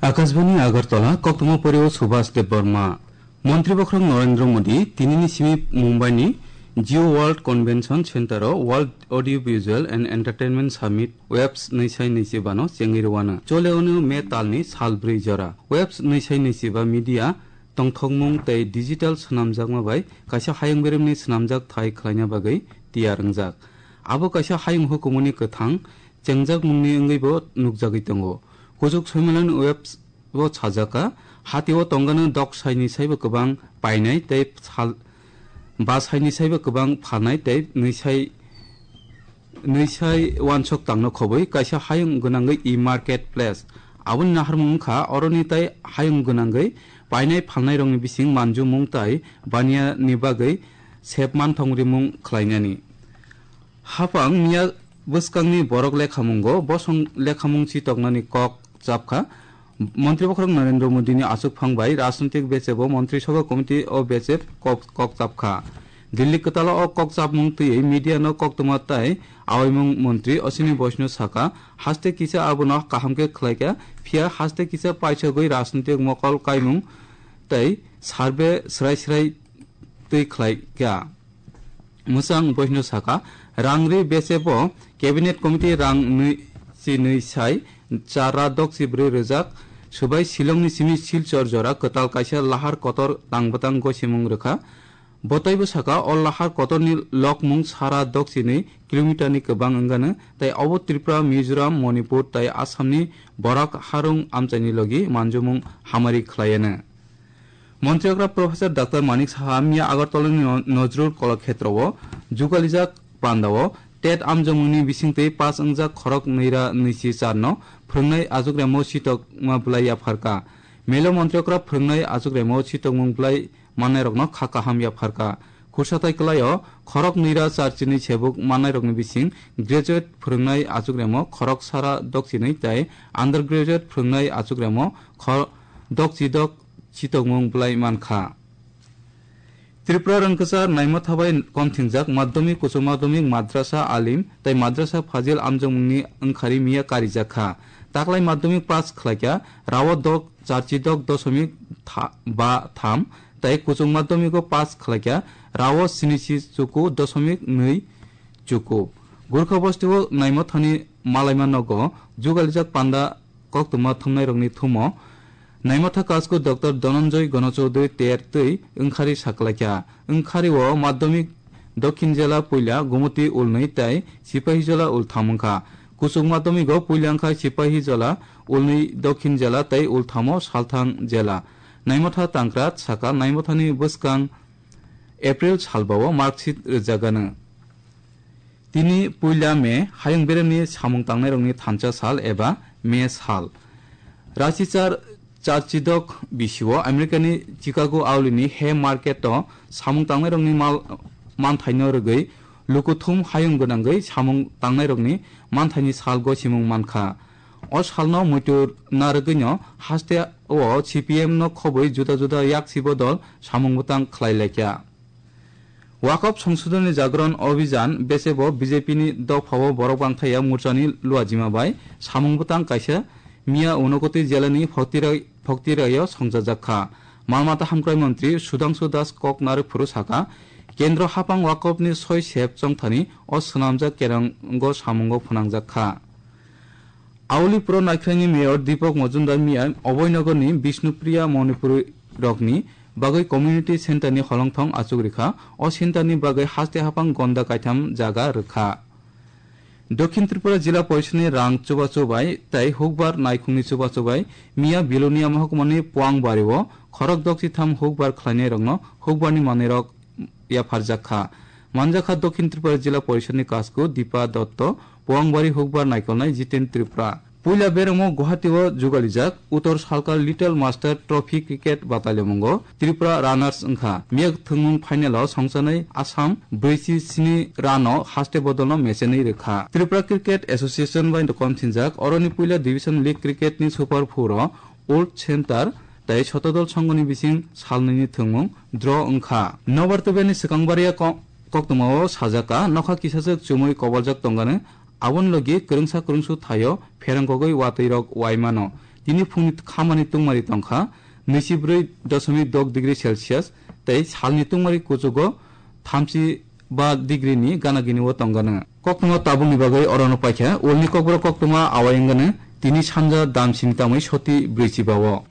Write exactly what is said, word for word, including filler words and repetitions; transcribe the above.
Akashbani Agartala, koktwma porio Subhas Debbarma. Montri Bokhorok Narendra Modi tinini simi Mumbai ni Jio World Convention Center o World Audio Visual and Entertainment Summit Webs nwi sai nwi chiba no chengwi rwano. Chole ono May talni sal brwi jora. Webs nwi sai nwi chiba media tongthokmung tei digital swnamjakma bai kaisa hayung beremni swnamjak thai khlaina bagwi tiyar wngjak. Abo kaisa hayung hukumuni kwthang chengjakmungni wngwibo nukjagwi tongo. Kuchuk Soimalan Webs bo sajaka, hatio tongano dok saini saibo kwbang painai tei sal, ba saini saibo kwbang phalnai tei nwi sai, nwi sai wansok tangno khobwi kaisa hayung gwnangwi e-market place. Aboni naharmung wngkha oroni tei hayung gwnangwi painai phalnairokni bising manjumung tei baniani bagwi sep manthong rimung khlainani. Hapang miya bwskangni borok lekhamungo bosong lekhamung chitoknani kok chapkha. Montri Bokhorok Narendra Modini achukphang bai rajnitik bechebo Montri Sabha Committee o bechep kok, kok chapkha. Delhi kwtalo o kok chapmung twiwi media no koktwma tei awaimung montri Ashwini Vaishnaw saka, haste kisa abono kaham khe khlaikha, phiya haste kisa paisogwi rajnitik mokol kaimung tei survey srai srai twi khlaikha. Mwchang Vaishnaw saka, rang ri bechebo Cabinet Committee rang nwi chi nwi sai chara dokchi brwi rwjak, subai Shillongni simi Silchar jora kwtal kaisa lahar kotor tang bwtang gosimung rwkha. Botaibo saka, o lahar kotorni lokmung sara dokchi nwi kilometer ni kwbang wngano, tei obo Tripura, Mizoram, Manipur tei Assamni borok harung amchaini logi manjumung hamari khlaiano. Montri okra Professor Doctor Manik Saha miya Agartala ni No-, Nojrul Kolakhetro o jugalijak panda o tet amjomung ni bisingtwi pass wngjak khorok nwi ra nwi chi char no phwrwngnai achukremo sitokma bwlai yapharkha. Melo montri okra phwrwngnai achukremo sitokmung bwlai mannairokno kha kaham yapharkha. Khursathai kwlaio khorok nwi ra char chini sebuk mannairokni bising graduate phwrwngnai achukremo khorok sara dokchinwi tei undergraduate phwrwngnai achukremo khor-, dokchidok chitokmung bwlai mankha. Tripura rwngkwchar naimotha bai komthingjak madhyamik, kuchuk madhyamik, madrasa alim tei madrasa fazil amjokmungni wngkhari miya karijakha. Taklai madhyamik pass khlaikha rao dok charchidok dosomik tha-, ba tham tei kuchuk madhyamiko pass khlaikha rao sinichi chuku dosomik nwi chuku. Gurkha bostio naimothani malaima nogo jugalijak panda koktwma thumnairokni thumo naimotha kasku Doctor Dhananjoy Ganochowdhury ter twi wngkhari saklaikha. Wngkhario madhyamik Dokhin jela puila Gumoti ulnwi tei Sipahijola ultham wngkha. Kuchuk madhyamigo puila wngkha Sipahijola ulnwi Dokhin jela tei ulthamo Salthang jela. Naimotha Tangkrat saka naimothani bwskang April salbao marksheet rwjagano. Tini puila May hayung beremni samung tangnairokni thansa sal eba May sal. Rachichar charchidok bisio Americani Chicago aulini Hay Market o samung tangnairokni mal manthaino rwgwi lukuthum hayung gwnangwi samung tangnairokni manthaini sal gosimung mankha. O salno muitu narwgwino haste o C P M no khobwi juda juda yaksi bodol samung bwtang khlai laikha. Wakop Songshodhoni Jagran Abhijan bechebo B J P ni dophao borok bangthaya morchani luajima bai samung bwtang kaisa miya Unakoti jelani Phoktirai-, Phoktiraio songchajakha. Malmata hamkrai montri Sudhangshu Das kok narwk phuru saka, Kendro hapang wakopni soi sep chongthani o swnamjak kerango samungo phwnangjakha. Auli Pro Naikhraini Mayor Deepak Majumdar miya Abhainagarni Bishnupriya Manipuri rokni bagwi Community Centre ni holongthong achuk rikha. O centre ni bagwi haste haphang gonda kaitham jaga rwkha. Dokhin Tripura Jila Porishad ni rang chubachu bai tei hukbar naikhungni chubachu bai miya Bilonia Mahakuma ni Puangbari o khorok dokchitham hukbar khlainai rokno hukbar ni manwi rok yapharjak kha. Manjakha Dokhin Tripura Jila Porishad ni kasku Dipa Dotto, Puangbari hukbar naikolnai Jiten Tripura. Puila beremo Guwahati o jugalijak Uttor Salka Little Master Trophy Cricket Batalyamungo Tripura runners wngkha. Miyag thwngmung final o songchanai Assam brwichi sini run o haste bodolno mechenwi rwkha. Tripura Cricket Association bai komthinjak oroni puila division league cricket ni Super Four o Old Center tei Sotodol Songhoni bising salnwini thwngmung draw wngkha. Nobar Tubeni swkangbaria ko-, Koktwmao sajak kha, nokha kisachwk chumui koboljak tongano, aboni logi kwrwngsa kwrwngsu thaio pherang kogwi watwi rok wai mano. Tini phungni khamani tungmari tongkha nwichi brwi doshomik dok degree Celsius tei salni tungmari kuchugo thamchi ba degree ni gana gini o tongano. Koktwma tabukni bagwi orono paikha, ulni kokborok koktwma awai wngano tini sanja damsini tamwi soti brwichi bao.